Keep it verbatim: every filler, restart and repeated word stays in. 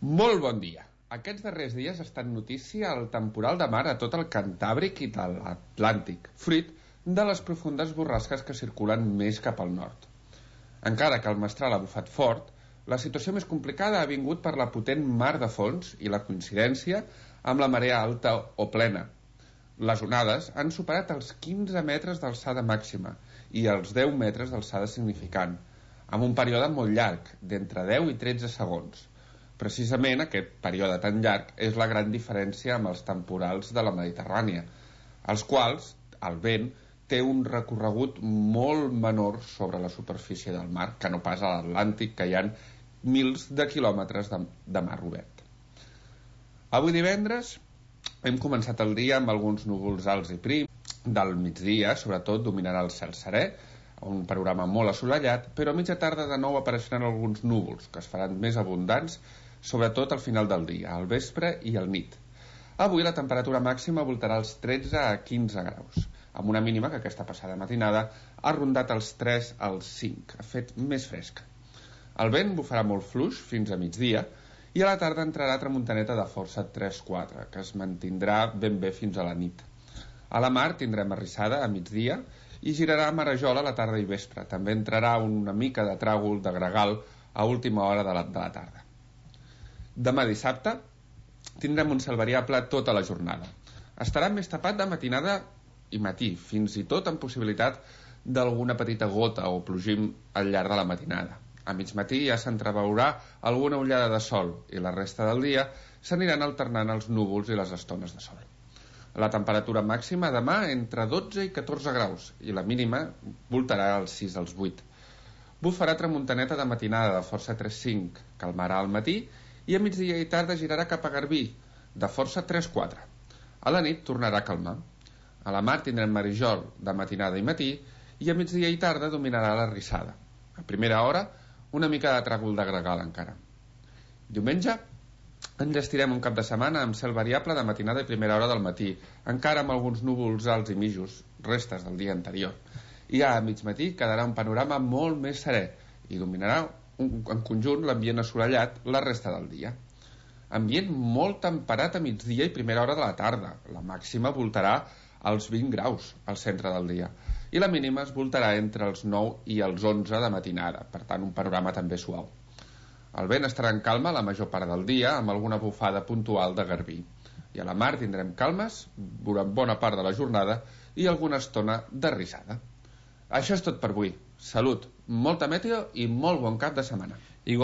Molt bon dia. Aquests darrers dies ha estat notícia el temporal de mar a tot el Cantàbric i de l'Atlàntic, fruit de les profundes borrasques que circulen més cap al nord. Encara que el mestral ha bufat fort, la situació més complicada ha vingut per la potent mar de fons i la coincidència amb la marea alta o plena. Les onades han superat els quinze metres d'alçada màxima i els deu metres d'alçada significant, amb un període molt llarg, d'entre deu i tretze segons. Precisament aquest període tan llarg és la gran diferència amb els temporals de la Mediterrània, els quals el vent té un recorregut molt menor sobre la superfície del mar que no pas a l'Atlàntic, que hi ha mils de quilòmetres de, de mar obert. Avui divendres hem començat el dia amb alguns núvols alts i prims. Del migdia, sobretot, dominarà el cel serè, un panorama molt assolellat, però a mitja tarda de nou apareixeran alguns núvols que es faran més abundants, sobretot al final del dia, al vespre i al nit. Avui la temperatura màxima voltarà als tretze a quinze graus, amb una mínima que aquesta passada matinada ha rondat els tres als cinc, ha fet més fresca. El vent bufarà molt fluix fins a migdia i a la tarda entrarà tramuntaneta de força tres quatre, que es mantindrà ben bé fins a la nit. A la mar tindrem arrissada a migdia i girarà a marejol a la tarda i vespre. També entrarà una mica de tràgol de gregal a última hora de la, de la tarda. Demà dissabte tindrem un cel variable tota la jornada. Estarà més tapat de matinada i matí, fins i tot amb possibilitat d'alguna petita gota o plogim al llarg de la matinada. A mig matí ja s'entreveurà alguna ullada de sol i la resta del dia s'aniran alternant els núvols i les estones de sol. La temperatura màxima demà entre dotze i catorze graus i la mínima voltarà als sis als vuit. Bufarà tramuntaneta de matinada de força tres cinc, calmarà al matí i a migdia i tarda girarà cap a Garbí, de força tres quatre. A la nit tornarà a calmar. A la mar tindrem marijol de matinada i matí i a migdia i tarda dominarà la rissada. A primera hora, una mica de tràgol de gregal encara. Diumenge enllestirem un cap de setmana amb cel variable de matinada i primera hora del matí, encara amb alguns núvols alts i mitjos, restes del dia anterior. I ja a mig matí quedarà un panorama molt més serè i dominarà un, en conjunt l'ambient assolellat la resta del dia. Ambient molt temperat a migdia i primera hora de la tarda. La màxima voltarà als vint graus al centre del dia i la mínima es voltarà entre els nou i els onze de matinada, per tant un panorama també suau. El vent estarà en calma la major part del dia amb alguna bufada puntual de garbí i a la mar tindrem calmes durant bona part de la jornada i alguna estona de rissada. Això és tot per avui. Salut, molta meteo i molt bon cap de setmana.